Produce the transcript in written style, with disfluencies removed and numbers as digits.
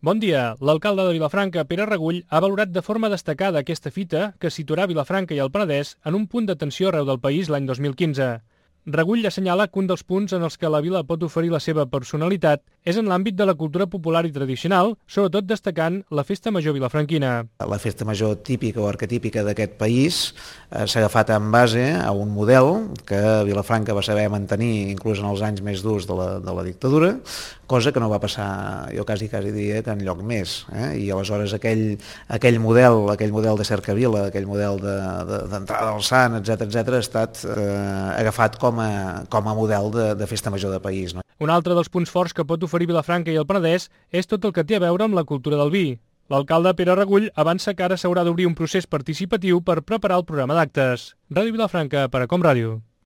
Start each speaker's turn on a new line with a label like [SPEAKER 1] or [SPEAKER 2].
[SPEAKER 1] Bon dia. L'alcalde de Vilafranca, Pere Regull, ha valorat de forma destacada aquesta fita que situarà Vilafranca i el Penedès en un punt d'atenció arreu del país l'any 2015. Regull assenyala que un dels punts en els que la vila pot oferir la seva personalitat és en l'àmbit de la cultura popular i tradicional, sobretot destacant la Festa Major vilafranquina.
[SPEAKER 2] La festa major típica o arquetípica d'aquest país s'ha agafat en base a un model que Vilafranca va saber mantenir inclús en els anys més durs de la dictadura, cosa que no va passar, jo quasi diria, que enlloc més. I aleshores aquell model de cercavila, aquell model d'entrada al Sant, etc ha estat agafat com a model de festa major de país.
[SPEAKER 1] Un altre dels punts forts que pot oferir Vilafranca i el Penedès és tot el que té a veure amb la cultura del vi. L'alcalde Pere Regull avança que ara s'haurà d'obrir un procés participatiu per preparar el programa d'actes. Ràdio Vilafranca per a Com Ràdio.